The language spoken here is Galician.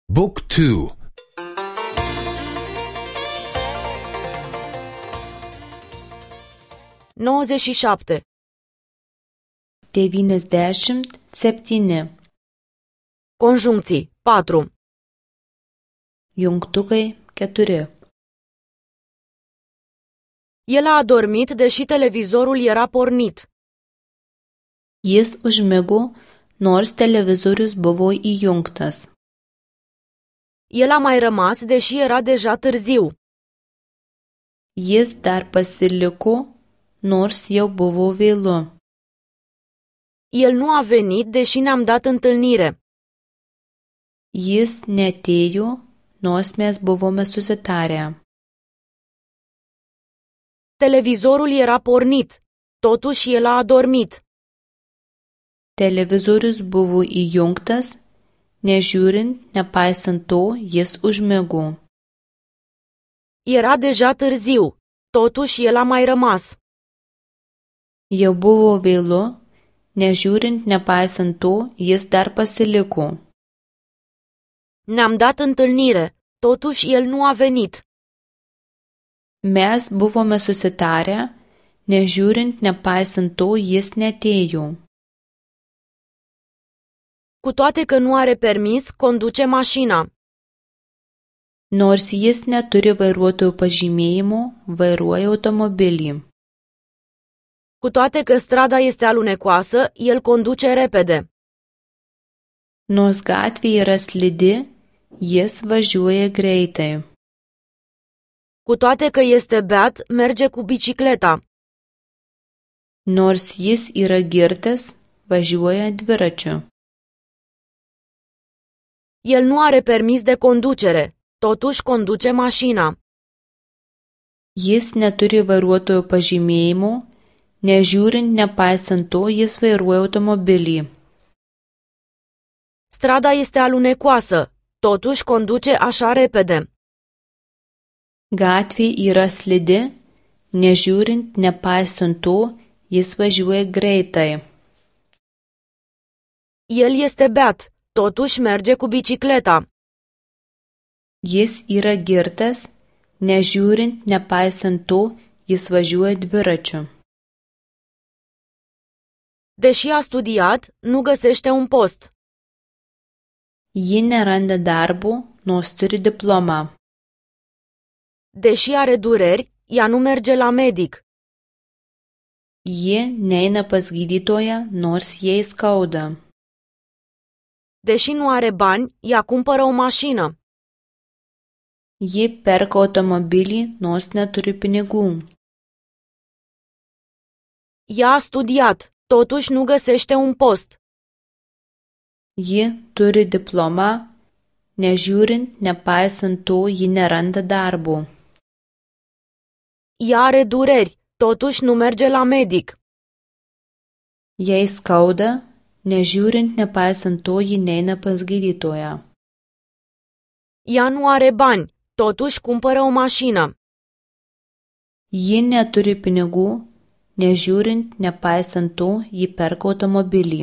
Book 2. 97. 97. Conjuncții 4. Jungtukai 4. El a adormit deși televizorul era pornit. Jis užmigo, nors televizorius buvo įjungtas. El a mai rămas deși era deja târziu. Jis dar pasiliko, nors jau buvo vėlu. El nu a venit deși ne-am dat întâlnire. Jis neatėjo, nors mes buvome susitarę. Televizorul era pornit, totuși el a adormit. Televizorius buvo įjungtas, nežiūrint, nepaisant to, jis užmigo. Era deja târziu, totuși el a mai rămas. Jau buvo vėlu, nežiūrint, nepaisant to, jis dar pasiliko. Ne-am dat întâlnire, totuși el nu a venit. Mes buvome susitarę, nežiūrint, nepaisant to, jis neatėjo. Cu toate că nu are permis, conduce mașina. Nors jis neturi vairuotojo pažymėjimo, vairuoja automobilį. Cu toate că strada este alunecoasă, el conduce repede. Nors gatvė yra slidi, jis važiuoja greitai. Cu toate că este beat, merge cu bicicleta. Nors jis yra girtas, važiuoja dviračiu. El nu are permis de conducere, totuși conduce mașina. Jis neturi vairuotojo pažymėjimo, nežiūrint, nepaisant to, jis vairuoja automobilį. Strada este alunecoasă, totuși conduce așa repede. Gatvė yra slidi, nežiūrint, nepaisant to, jis važiuoja greitai. El este beat, totuși merge cu bicicleta. Jis yra girtas, nežiūrint, nepaisant to, jis važiuoja dviračiu. Deși a studiat, nu găsește un post. Ji neranda darbo, nors turi diplomą. Deși are dureri, ea nu merge la medic. Ji neina pas gydytoją, nors jai skauda. Deși nu are bani, ea cumpără o mașină. Ji perka automobilį, nors neturi pinigų. Ea a studiat, totuși nu găsește un post. Ji turi diplomą, nežiūrint, nepaisant to, ji neranda darbo. Ea are dureri, totuși nu merge la medic. Jai skauda, nežiūrint, nepaisant to, ji neina pas gydytoją. Ea nu are bani, totuși cumpără o mașină. Ji neturi pinigų, nežiūrint, nepaisant to, ji perka automobilį.